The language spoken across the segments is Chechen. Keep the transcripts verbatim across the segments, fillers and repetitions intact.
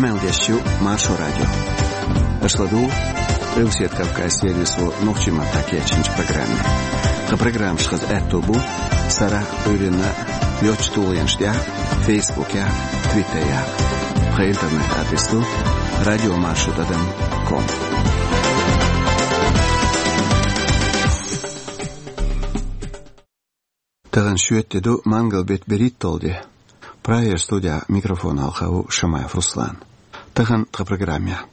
Къамел деш ю Маршо радио. Аша ладугӀу Къилбаседа Кавказан сервисо нохчийн маттахь кечйинчу программе. Тхан программаш хаза аьтто бу сарахь а, Ӏуьйранна а йоцачу тулгӀенаш тӀехь а, Фейсбукехь а, Твиттерехь а. Тхан интернет-адрес ду радиомаршо тӀадам ком. Тахана шоьтан де ду, мангал беттан берхӀитталгӀа де. Прагера студехь микрофон хьалха ву Шамаев Руслан. Тахана тхан программехь.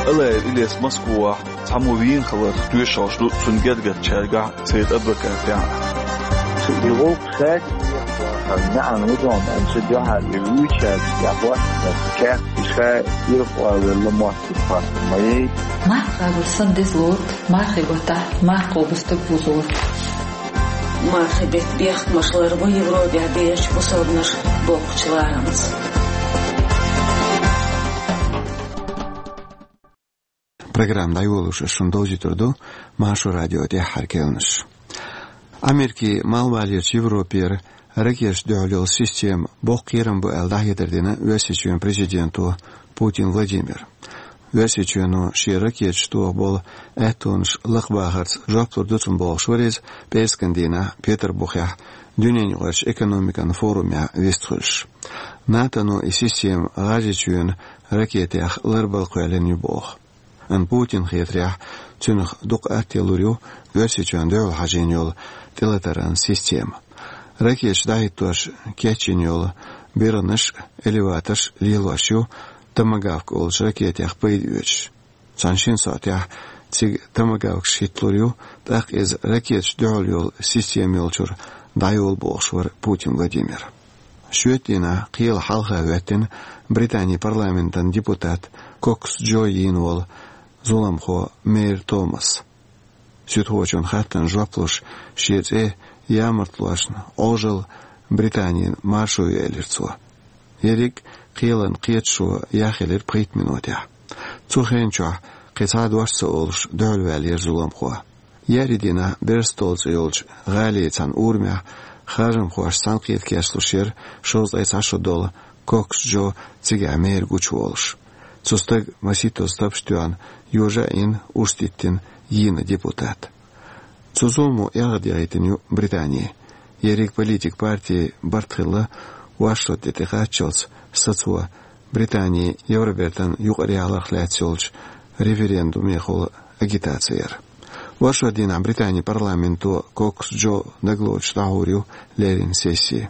Алаев Илеса Москвахь цхьаммо вийна хиларх тоьшаллаш ду цуьнан гергарчаьргахь а, церан адвокатехь а. И гӀуллакх хаьттина, неӀан ву дона, амма цу дуьхьал и вуьйчаьрца тӀехь хӀоттийна кехат, ша ирхъолла мотт тӀе хӀоттийна ма яй. Марха гӀур сан деза лору, мархи гӀоттахь, марха кхобу стаг бузору. Мархи беттан бехкамаш ларбо Европехь бехачу бусалбанаш боккхачу ларамца. Программа дӀайолош ас шуна довзуьйтур ду Маршо радион тӀаьххьара кхаьънаш. Америкин малхбалерчу Европера ракеташна дуьхьал йолу система боккха кхерам бу аьлла, дӀахьедар дина Оьрсийчоьнан президенто Путин Владимира. Оьрсийчоьно шен ракеташна тоха болу аьттонаш лакхабахарца жоп лур ду цунна бохуш вара иза пӀераскан дийнахь Петарбухехь дуьненаюкъарчу экономикан форумехь вистхуьлуш. НАТОно и система ГӀажарийчоьнан ракетех ларбала кхоьллина ю боху. Амма Путинна хетарехь, цуьнах дукха атта лур ю Оьрсийчоьнна дуьхьал хьажийна йолу тӀелатаран система. Ракеташ дӀахӀиттош кечйина йолу биргӀанаш а, элеваторш а лелош ю томагавк олучу ракетех пайда оьцуш. Цхьана шина сохьтехь цига томагавкаш хӀитталур ю, тӀаккха иза ракеташна дуьхьал йолу система йолчуьра дӀайолу бохуш вара Путин Владимир. Шоьтан дийнахь кхелан хьалха хӀоьттина Британин парламентан депутат Кокс Джо йийна волу зуламхо Мейр Томас. Суьдхочун хаттарна жоп луш, шен цӀе ямартлошна Ӏожалла Британина маршо ю элира цо. Ерриг кхелан кхеташо яхъелира пхийтта минотехь. Цу хенан чохь кхин цхьа дош ца олуш дуьхьалваьллера зуламхо. Еарин дийнахь Берстол цӀе йолчу гӀалин цхьана урамехь харжамхошца цхьаьнакхета кечлуш яра шовзткъе цхьа шо долу Кокс Джо цигахь мэр гучуволуш. Цу стага масийттазза тапаш тоьхна, йожа а йина, урс диттина йийна депутат. Цу зуламо эгӀар дехийтина ю Британи. Ерриг политик парти барт хилла оршот де тӀекхаччалц сацо Британин Евробертан юкъараяхьаларх лаьцна йолчу референдумехула агитаци яр. Оршот дийнахь Британин парламенто Кокс Джо дагалоцуш дӀахьур ю леррина сесси.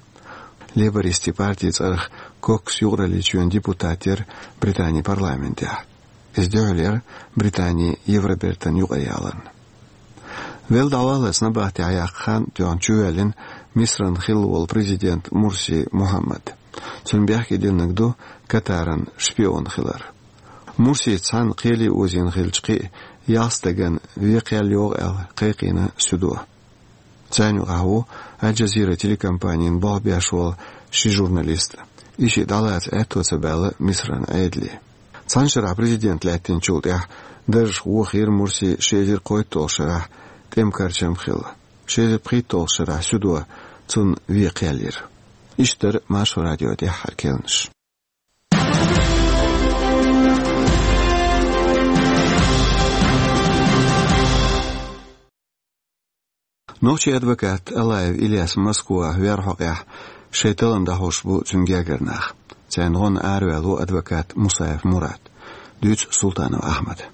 Лейбористийн партин цӀарах Кокс юкъараллин депутат яра Британин парламентехь. Иза дуьхьал яра Британин Евробертан юкъараяхьаларна. Велла дӀаваллалц набахтехь яккха хан тоьхна чувоьллина Мисран хилла волу президент Мурси Мухаммад. Цунна бехке диллинарг ду Катаран шпион хилар. Мурсица цхьаьна кхеле озийна хиллачу кхин а ялх стагана вен кхел йогӀу аьлла кхайкхийна суьдо. Царна юкъахь ву Аль-Джазира телекомпанина болх беш волу ши журналист. И шиъ дӀалаца аьтто ца баьлла Мисран Ӏедале. Цхьана шарахь президент лаьттинчул тӀаьхьа даржах вохийра Мурси ши эзар кхойтталгӀачу шарахь тӀеман карчам хилла. Ши эзар пхийтталгӀачу шарахь суьдо цунна вен кхел йира. Иштта дара Маршо радион тӀаьххьара кхаьънаш. Нохчийн адвокат Алаев Ильяс Москвахь вер хьокъехь шайн таллам дӀахьош бу цуьнан гергара нах. Царна гӀонна араваьлла ву адвокат Мусаев Мурад. Дуьйцу Султанов Ахьмада.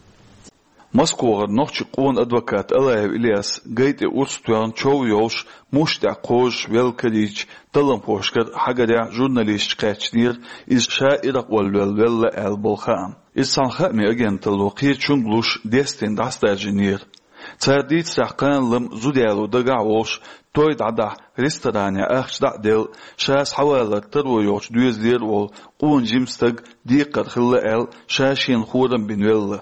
Москвахара нохчийн къона адвокат Алаев Ильяс гай тӀе урс тоьхна чов йолуш, мушта тӀехь кхозуш велла карийча талламхошкара хьагарехь журналисташ кхаьчнера, иза ша Ӏиракъ вала велла аьлла болу хаам. Иза цхьана хаамийн агенталло кхечунга луш дестина дӀасадаржийнера. Цара дийцарехь, кхана-лама зуда яло дагахь а волуш, той дӀадахьа, ресторанехь ахча дӀа а делла, ша схьавалар таро йолчу доьзалера а волу къона жима стаг декхар хилла аьлла, ша шена хорам бина велла.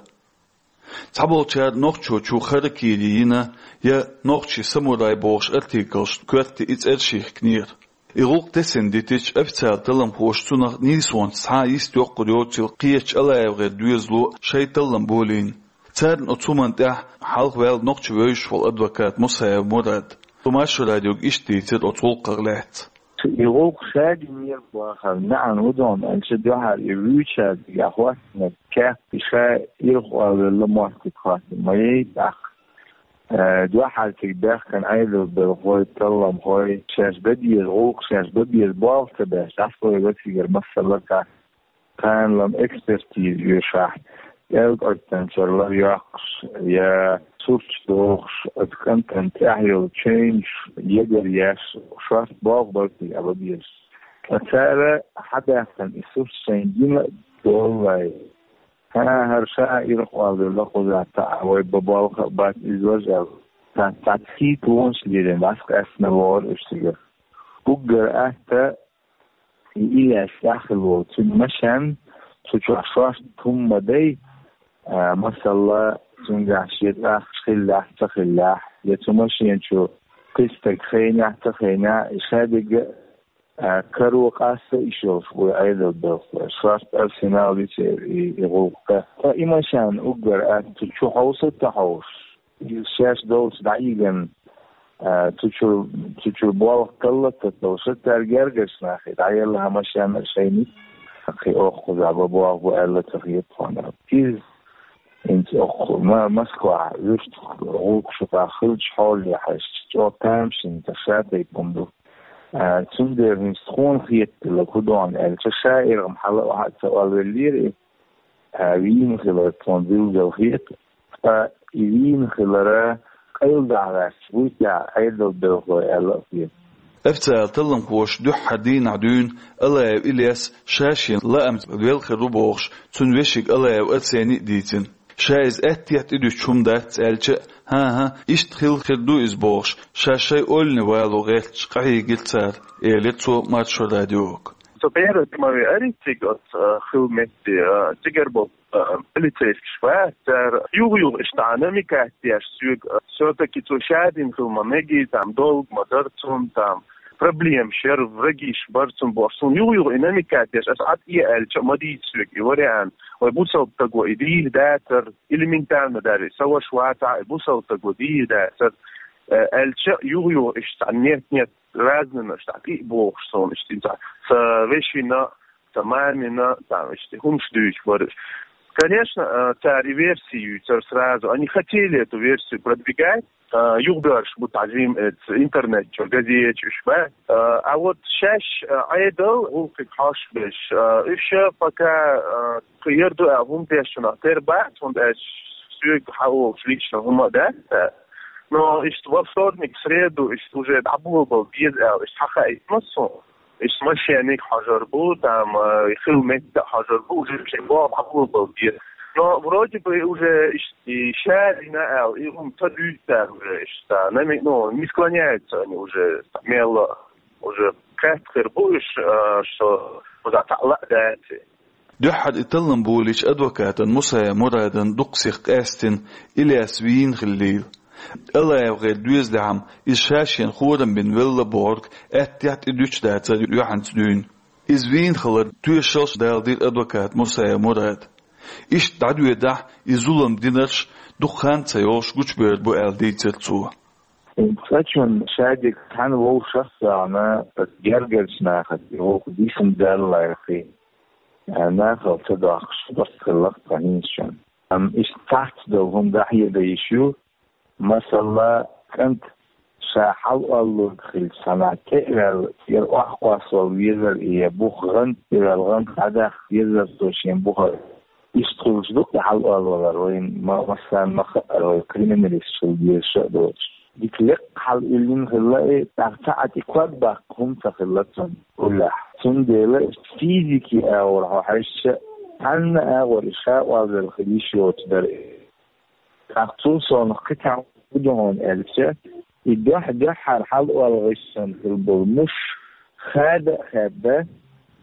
Цхьаболчара нохчочо харакири йина я нохчийн самурай бохуш артиклашна коьрта и цӀераш йихкинера. И гӀуллакх тесна дитича, официалан талламхоша цунах нийсонца цхьа а йист йоккхур йоцийла кхечу АлаевгӀеран доьзало шайн таллам болийна. Царна оцу хӀуманна тӀехь хьалхаваьлла нохчо вевзаш волу адвокат Мусаев Мурад. Цо Маршо радиога иштта дийцира оцу гӀуллакхах лаьцна. И гӀуллакх ша динера бахар маьӀна хӀун да аьлча, дуьххьара и вуьйцучаьрга хӀоттанарг кеппа ша ирхъоллала моттиг хӀоттам ма яй тӀаккха. Э, дуьххьара цига баьхкина Ӏедалан белхалой, талламхой, шаьш бан беза гӀуллакх, шаьш бан беза болх ца беш, дӀасалой ва цигара масала тӀаккха. Кхана-м экспертиза оьшуш, кӀелкӀоттанчара лар йоккхуш, я сурташ дохуш, оцу кӀантана тӀехь йолу чевнаш ягар еш, шорта болх бар цига бан безаш. Ткъа цара хьабаьхкина и сурт шайн гина а доллай. ХӀара ша ирхъоллала кхузахь таӀа вай бан болх а бац, иза важа аьлла. Цхьа, цхьа цхьа тонаш лелийна, дӀасакъаьстина вогӀура уьш цигара. Уггар атта и Ильяс тӀехь хилла волу, цуьнан машен, цу чохь шорта хӀумма дай, а, масала, цуьнгахь шен цӀахкаш хиллехь, ца хиллехь, я цу машен чу кхин стаг хенехь, ца хенехь, и ша дерг а, каро къасто йиш йолуш бу Ӏедалан белхалой. Шорта арсенал ю церан и, и гӀуллакх. Ткъа и машен уггар атта цу чу хьовса а ца хьовсуш, иза шаьш долчу дӀайигна, а, цу чуьра, цу чуьра болх талла а ца таллуш, цара гергарчу нахе дӀаелла хӀара машен а шайна, кхин оха кхузахь бан болх бу аьлла ца хета тхуна. Иза хӀинца оха ма-, Москвахь вуьшта гӀуллакх шу тӀехь хиллачу хьоле хьаьжча, чӀогӀа тамашийна, цхьа шатайпа хӀума ду. А, цундела хӀинца тхуна хетарг хӀун ду аьлча, ша иргӀа-м хьала а охьа а ца олвеллера и, а, вийна хилар тхуна билггал хета, ткъа и вийна хилар къайладахьа гӀерташ буй техьа Ӏедалан белхалой аьлла а хета. Официалан талламхоша дуьххьара дийнахь дуьйна Алаев Ильяс ша шен лаамца велла хир ву бохуш, цуьнан вешин Алаев Арсений а дийцина. Ша иза аьттехьа тӀедуьтуш хӀума дац аьлча а, хӀан-хӀа, иштта хилла хир ду иза бохуш, ша шайн ойлане вало гӀерташ къахьийгира цара, элира цо Маршо радиога. Со первый тема веари цига оцу, а, хилла метте, а, цигара болу, а, полицейскаш бац, цара юха-юха иштта намекать деш соьга, а, всё-таки цо ша дина хила ма мегий, там, долг ма дара цунна, там, проблемаш яра, врагаш бара цунна бохуш, суна юха-юха и намекать деш, аса Ӏад э аьлча а ма дийца соьга и вариант, вай бусалба стага и дийр дацара, элементарно даже, сан ваша вацахь а, и бусалба стага дийр дацара, э, аьлча а, юха-юха иштта цхьа нет-нет, разныйнаш, цхьа кхин а бохуш суна, иштта цхьа сан вешина, сан мамина, там, иштта хӀумаш дуьйцуш бара уьш. Конечно, э, цара и версию юьйцура сразу. Они хотели эту версию продвигать. Э, юхабоьрзуш бу тӀаккха жим, э, интернет чу, газеташ уьш бац. Э, а вот шаьш, э, Ӏедал гӀуллакхе хьош берш, э, уьш пока, э, кхин яр ду аьлла хӀума деш чунах тера бац, хӀунда аьлча соьга хьалха лично хӀума а дац цара. Но иштта во вторник, среду иштта уже дӀаболабала беза аьлла, иштта хьахаийтина суна. Иштта машениг хьожур бу, там, э, хилла метта а хьожур бу, уже шайн болх дӀаболабала беза. Но вроде бы уже иштта и ша дина аьлла, и хӀума ца дуьйцу цара уже иштта, нами-, ну, не склоняются они уже, мелла, уже кхетта хир бу уьш, э, что кхузахь цхьаъ лаа дац. Дуьххьара и таллам болийча адвокатан Мусаев Мурадан дукха сих къаьстина, Ильяс вийна хиллийла. АлаевгӀеран доьзалехь-м иза ша шена хорам бина велла бохург аьттехьа тӀедуьтуш дацара юьхьанца дуьйна. Иза вийна хилар тоьшаллаш даладира адвоката Мусаев Мурада. Иштта дӀадоьдахь, и зулам динарш дукха хан ца йолуш гучубевр бу аьлла дийцира цо. Цкъачунна шадерг цхьана вовшах а вахана, гергарчу нахаца и гӀуллакх дисина даллалц, нахала ца доккхуш барт хилла-кх тхан хӀинцачунна. Амма иштта цхьацца долу хӀума дӀахьедан йиш ю, масала, кӀант ша хьалаоллург хилча цхьанхьа тӀе а ваьлла, цӀера охьакхоссавала везар, я бух гӀанта тӀе ваьлла, гӀанта дӀадаккха дезар цо шен бухара. Иштта хуьлуш ду-кх и хьалаоллавалар, вайна ма-, массарна ма-хаъара, вай криминалисташ хила дезаш а доцуш. Дика лекха хьалаиллина хилла и, тӀаккха цхьа а тӀе ког баккха хӀума ца хилла цунна уллехь. Цундела физики агӀор хьо хьаьжча, цхьанна агӀор и ша олвелла хила йиш йоцуш дара и. ТӀаккха цул совнаха кхин цхьа хӀума ду хьуна аьлча, и дуьхь-дуьххьара хьалаоллуш санна хилла болу муш хада а хаьдда,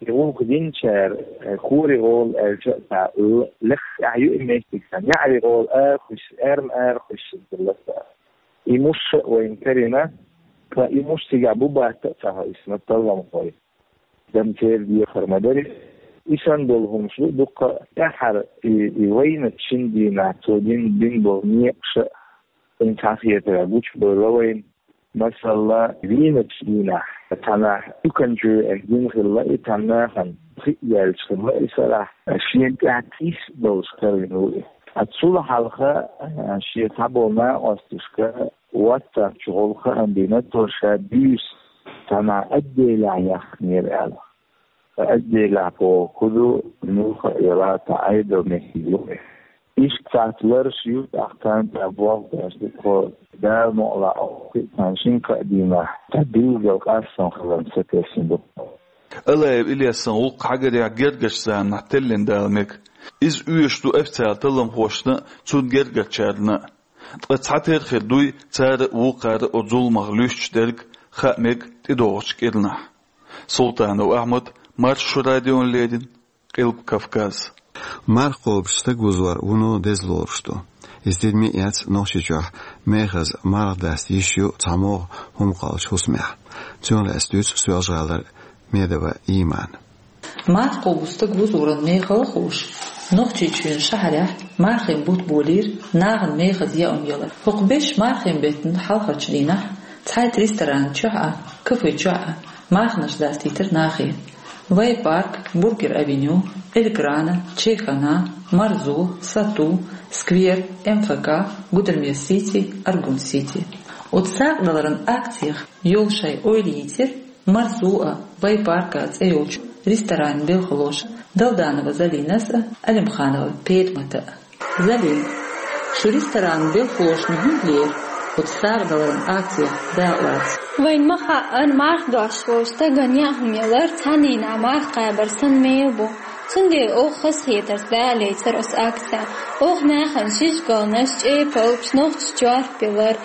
и гӀуллакх динчара, э, хӀорин гӀола аьлча а цхьа л-, лекха тӀехь ю и меттиг цхьа, неӀарин гӀола ара хуьссу, ара ма ара хуьссу хилла цхьа. И муш а вайна карийна, ткъа и муш цигахь бу-бац а ца хаьа, исмат талламхой. Дан церан дехар ма дарий. И санна долу хӀумаш ду дуккха а. ТӀаьххьара и, и вайначу шина дийнахь цо дин, дина болу некъаш а, хӀинца хьан хетарехь гучубевлла вайна. Масала, вийначу дийнахь Цхьаннахьа дуканчу гина хилла и, цхьаннахьа хи яьлча хилла и сарахь, шена тӀехь тийс долуш карийна ву и. Ткъа цул хьалха, а, шен цхьаболу накъосташка WhatsApp чу гӀолу хаам бина, цо ша буьйса цхьаннахьа отделехь яхкинера аьлла. Отделехь боху хӀун ду, муьлхха а яла, цхьа Ӏедал меттиг ю и. Иштта цхьацца лараш ю, тӀаккха царна тӀехь болх беш ду тхо, Дала мукъалахь, кхин а цхьана шина-кхаа дийнахь цхьа билггал къастам хиларна сатесна ду. Алаев Ильясан гӀуллакх хьагарехь гергарчу заманахь теллина дала мега. Иза оьшуш ду официалан талламхошна а, цунна гергарчарна а. Ткъа цхьатерра хир дуй цара а, вукхара а оцу зуламах луьстуш дерг, хаа мега тӀедогӀучу кӀирнахь. Султанов Ахьмад, Маршо радиона леррина, Къилба Кавказ. Марха кхобуш стаг вузор вуно деза лоруш ду. Иза тидаме а эцна, Нохчийчохь мехаза марха даста йиш ю цхьамогӀа хӀума кхоллучу хӀусамехь. Цунах лаьцна дуьйцу Соьлжа-ГӀалара Медова Имана. Марха кхобу стаг вузоран мехала а хууш, Нохчийчоьнан шахьарехь мархийн бутт болийра нахана мехаза яа хӀума ялар. ХӀокху бешан мархийн беттан хьалхарчу дийнахь цхьайтта ресторан чохь а, кафе чохь а марханаш дастийтира нахе. Вай парк, Бургер авеню, Эльграна, Чайхана, Марзо, Сату, Сквер, МФК, Гудермес Сити, Аргун Сити. Оцу сагӀдаларан акцех йолу шайн ойла йийцира Марзо а, Вай парк а цӀе йолчу ресторанан белхалоша Далданова Залинас а, Алимханова Петмата а. Залин, шу ресторанан белхалошна хӀунда лерира оцу сагӀдаларан акцех дакъалаца? Вайна ма хаъара, марха дош волчу стагана яа хӀума ялар цхьанненна марха кхабар санна мегар бу. Цундела оха хазахетарца дакъалецира оцу акцехь. Оха нахана шишгалнаш, чӀепалгаш, нохчийн чорпа ялар.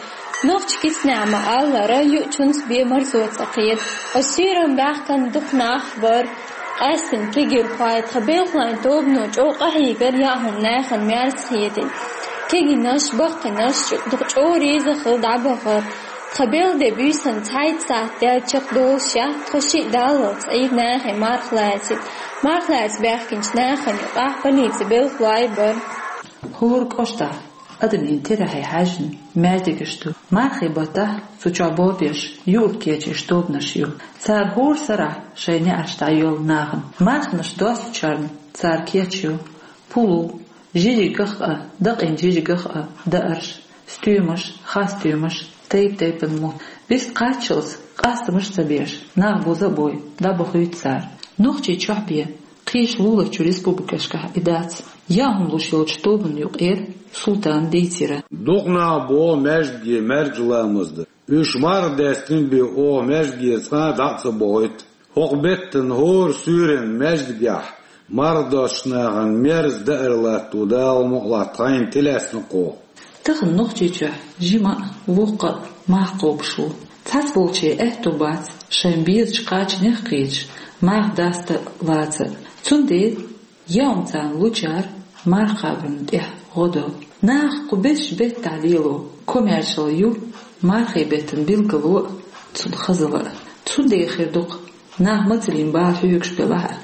Нохчийн кисанехь ма-аллара, юучунца бен марзо ца кхета. Оцу суьйранна баьхкина дукха нах бара. Къаьстина кегийрхой, тхан белхалойн тобано чӀогӀа къахьийгара яа хӀума нахана мерза хетийта. Кегийнаш, баккхийнаш чӀу-, дукха чӀогӀа реза хилла дӀабахара. Тхан белхан де буьйсанна цхьайтта сахьт даьлла чекхдолушехь, тхо шиъ даллалц Ӏийра нахе марха лаьцийта. Марха лаьцна баьхкинчу нахана юкъахь полицин белхалой бара. ХӀора кӀоштахь адамийн терахье хьаьжна маьждигаш ду. Мархийн баттахь цу чохь бобеш, юург кечдеш тобанаш ю. Цара хӀора сарахь шайн неӀарш дӀайоьллу нахана. Марханаш достучарна цара кечйо пулу, жижиг гах а, дакъийна жижиг гах а даарш, стоьмаш, хасстоьмаш, тайп-тайпана мутт. Вист кхаччалц къастамаш а ца беш, нах буза а бой, дӀабохуьйту цара. Нохчийчохь бен кхечу луларчу республикашкахь и дац. Яа хӀума луш йолчу тобанна юкъара Султана дийцира. Дукха нах боху маьждиге маьркӀажа ламаз дан. Уьш марха даьстина бен оха маьждигера цкъа а дӀа а ца бохуьйту. ХӀокху беттан хӀора суьйранна маьждигехь марха достучу нахана мерза даар латто Дала мукъалахь тхайна тӀелаьцна кхо. Тахана Нохчийчохь жима а, воккха а марха кхобуш ву. Цхьацболчеран аьтто бац шайн безачу кхачанех кхеташ марха даста а, лаца а. Цундела яа хӀума царна лучара марха кхабарна тӀехь гӀо до. Наха кху бешан беттахь лело комаьршалла ю мархийн беттан билгало а, цунна хазалла а. Цундела хир ду-кх, наха мацаллин бала хьоьгуш белахь а,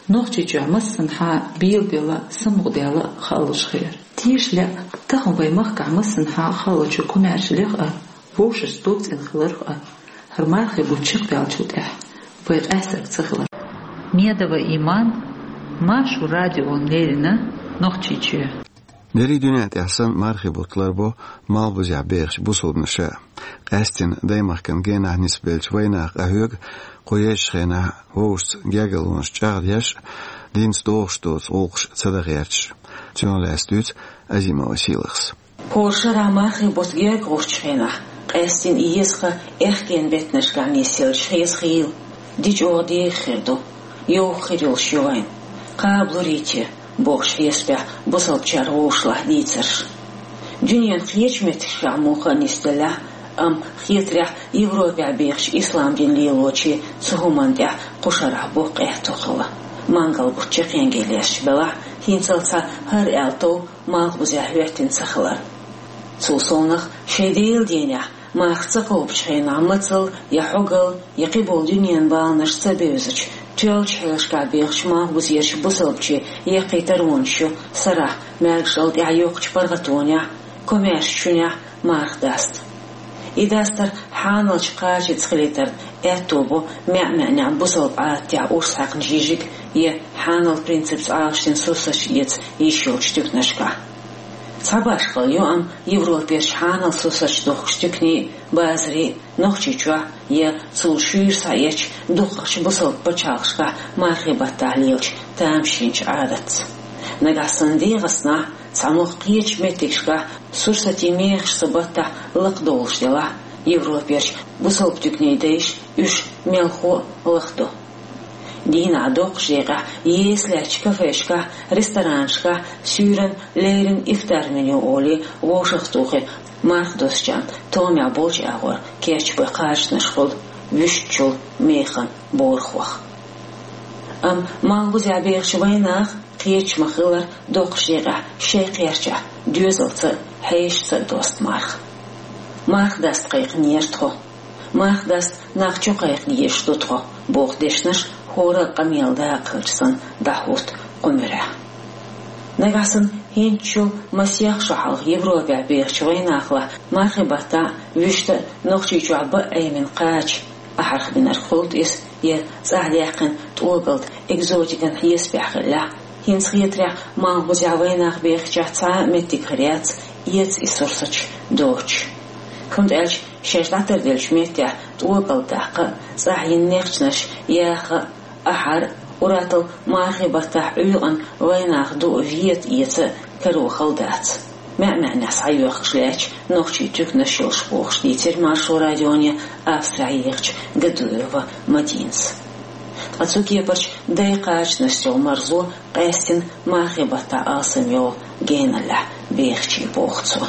Нохчийчохь массанхьа а белабелла, самукъадаьлла а хаалуш хилар. Тешале а, тахана вайн махкахь массанхьа а хаалучу комаьршаллех а, вовшашца дог цӀена хиларх а, хӀара мархийн бутт чекхбаьллачул тӀаьхьа вай къаьстарг ца хилар. Медова Иман, Маршо радиона леррина, Нохчийчоь. Дерриг дуьнен тӀехь санна мархийн бутт ларбо малхбузехь бехачу бусалбанаша. Къаьсттина даймахкана генахь нисбеллачу вайнаха къахьоьгу кху езачу хенахь вовшашца гергарлонаш чӀагӀдеш а, динца догӀуш доцу гӀуллакхаш ца дан гӀерташ а. Цунах лаьцна дуьйцу Азимова Сийлахьас. ХӀора шарахь мархийн бутт герга гӀуртчу хенахь, къаьсттина и еза хан аьхкенан беттанашкахь нисъелча хеза хийла, дича оха дегӀа хир ду, йовха хир йолуш ю вайн. Кхабалур ю те, бохуш хьесапехь бусалбачара вовшашлахь дийцарш. Дуьненан кхечу меттигашкахь муха а нисделлехь а, амма хетарехь Европехь бехачу ислам дин лелочийн цу хӀуманна тӀехь кху шарахь боккха аьтто хилла. Мангал бутт чекхйенге лаьтташ белахь а, хӀинццалц хӀара аьлла тов малхбузехь хӀоьттина ца хилар. Цул совнаха шайн Делан дийнахь марха ца кхобучу хенахь мацалла я хьогалла, я кхиболу дуьненан баланаш ца бевзачу, тоьллачу хьелашкахь бехачу малхбузерчу бусалбачийн яккхий таронаш ю сарахь маьркӀажалла тӀаьхьа йоккхачу паргӀатонехь, комаьршачу шуьнехь марха даста. И дастар хьаналча кхачанца хилийтарна аьтто бу маьӀ-маьӀнехь бусалба Ӏадатехь урс хьаькхна жижиг я хьанал принципца Ӏалашдина сурсаташ эца йиш йолчу туьканашкахь. Цхьа башхалла ю, амма Европерчу хьанал сурсаташ дохкучу туьканийн, базарийн, Нохчийчохь я цул шуьйра схьаэцча дукхахчу бусалба пачхьалкхашкахь мархийн баттахь лелачу тамашийначу Ӏадатца. Нагахь санна ДегӀастанахь, цхьамогӀа кхечу меттигашкахь сурсатийн мехаш цу баттахь лакхадовлуш делахь, Европерчу бусалба туьканийн дайша уьш мелхо а лахдо. Дийнахь доккхачу декъехь еса лаьттачу кафешкахь, ресторанашкахь суьйранна, леррина ифтар меню олий вовшахтухий марха доссучарна томехь болчу агӀор кечбан кхачанаш хуьлу вуьшта чул механа борахох. Амма малхбузехь бехачу вайнаха кхеташ ма-хиллара доккхачу декъехь шайн кхерчахь доьзалца а, хьешаца а доста марха. Марха даста кхайкхинера тхо. Марха даста нах чу кхайкхина езаш ду тхо, боху дешнаш хӀора а къамелан дакъа хилча санна дӀахӀутту кху муьрехь. Нагахь санна хӀинцачул масех шо хьалха Европехь бехачу вайнахалахь мархийн баттахь вуьшта а, Нохчийчохь бан а Ӏемина кхача ахьарх бинарг хуьлда иза, я цӀахь даьккхина тӀогалда экзотикан хьесапехь хиллехь, хӀинца хетарехь, малхбузехь вайнах бехачохь цхьа а меттиг хир яц, эца и сурсаташ доцуш. ХӀунда аьлча шаьш дӀатарделлачу меттехь тӀогалда даккха а, цӀахь йина нехчанаш яха а, ахьар а, уьттазза мархийн баттахь Ӏуьйкъана вайнах ду а, вета эца а каро хала дац. МаьӀ-маьӀнехь схьайоьхкуш лаьтташ нохчийн туьканаш йолуш бохуш дийцира Маршо радионе Австрехь ехачу Гадуева Мадинас. Ткъа цу кепарчу дайн кхачанашца йолу марзо къаьстина мархийн баттахь алсам йолу геналлехь бехачийн боху цо.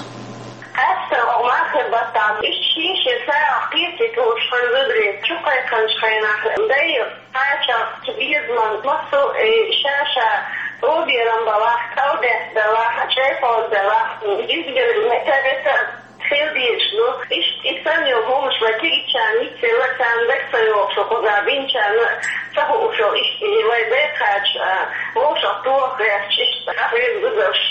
Къаьсттина оха мархийн баттахь иштта шен-шен сагӀах кхетийта лууш хан зударий чу кхайкхинчу хенахь, дайн кхачанах цу безаман массо а, э, ша-ша тӀоберам балахь, кӀалдеста далахь, чӀепалг далахь, дизбелла метта-метта хила дезаш ду. Иштта и санна йолу хӀуманаш вай кегийчарна йицъелла, царна дага ца йогӀуш, кхузахь бинчарна ца хууш йолу, иштта и вайн дайн кхача, а, вовшах тоха гӀерташ, иштта къахьоьгу зударш.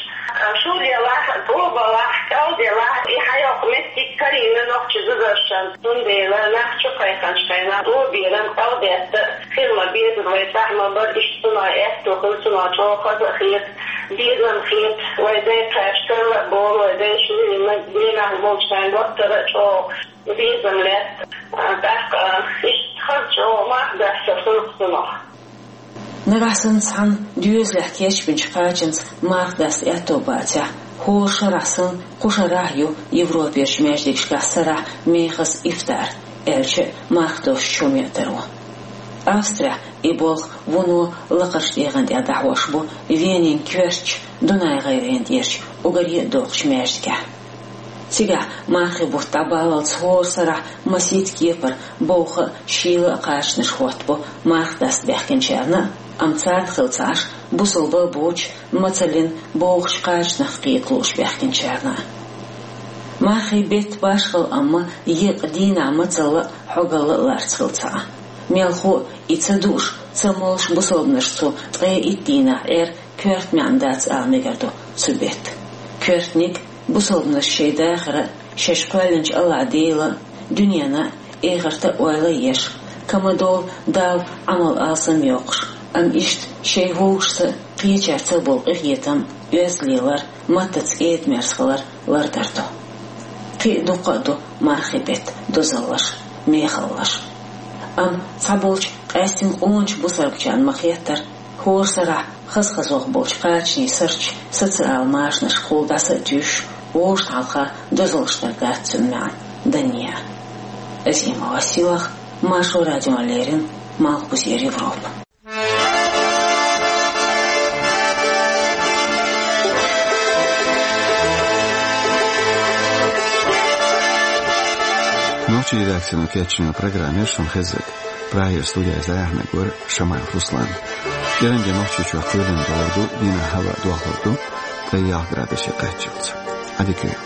Шу делахь, тӀо балахь, кӀал делахь, и хьайоккху меттиг карийна нохчийн зударшна. Цундела нах чу кхайкхинчу хенахь тӀоберам, кӀалдеста хила ма безара, вай цӀахь ма бара, иштта цунах аьтто хила, цунах чӀогӀа хаза а хета, безам а хета. Вай дайн кхача карла а болу, вай дайша лелийна генахь болчу хенахь доттагӀа а чӀогӀа безам лаьтта. ТӀаккха иштта хаза чӀогӀа марха даста хуьлу цунах. Нагахь санна цхьана доьзалехь кечбинчу кхачанца марха даста аьтто бацахь, хӀора шарахь санна кху шарахь а ю Европерчу маьждигашкахь сарахь мехаза ифтар, аьлча а марха доссучу хӀума ян таро. Австрехь и болх вуно лакхарчу дегӀан тӀехь дӀахьош бу Венин коьртачу Дунай-ГӀайгӀанан тӀерачу уггаре а доккхачу маьждигехь. Цигахь мархийн бутт дӀабаллалц хӀора сарахь масийтта кепара бовха а, шийла а кхачанаш хӀоттабо марха даста баьхкинчарна а, амма царна хила ца Ӏаш, бусалба а боцуш, мацаллин бовхачу кхачанах кхета лууш баьхкинчарна а. Мархийн беттан башхалла амма еккъа дийнахь мацалла а, хьогалла а ларца хила ца Ӏа. Мелхо а, и ца дууш, ца молуш бусалбанаш цу ткъе итт дийнахь Ӏер коьрта маьӀна дац ала мегар ду цу беттан. Коьртаниг бусалбанаш шайн дахар а, шаьш кхоьллинчу АллахӀ Дела а, дуьненан а, эхартан а ойла а еш, ка ма долу Далла Ӏамал алсам йоккхуш, амма иштта шайн вовшашца а, кхечаьрца а болу къинхетам а, оьзда лелар а, маттаца кӀеда-мерза хилар а лардар ду. Кхин а дуккха а ду мархийн беттан дозаллаш а, мехаллаш а. Амма цхьаболчу къаьстина къоначу бусалбачарна ма-хеттара, хӀора сарахь хаза-хазох болчу кхачанийн сарчу социал машанашкахула дӀаса а туьйсуш, вовшашна хьалха дозаллаш дар дац цуьнан маьӀна данне а. Азима Василах, Маршо радиона леррина, Малхбузера Европа. Нохчийн редакцино кечйина программа яра шуна хезнарг. Прагера студехь иза яхьнарг вара Шамаев Руслан. КӀиранге Нохчийчохь кхоьлина долур ду, дийнахь хӀаваъ дохлур ду, ткъе ялх градусе кхаччалц. Ӏадика йойла.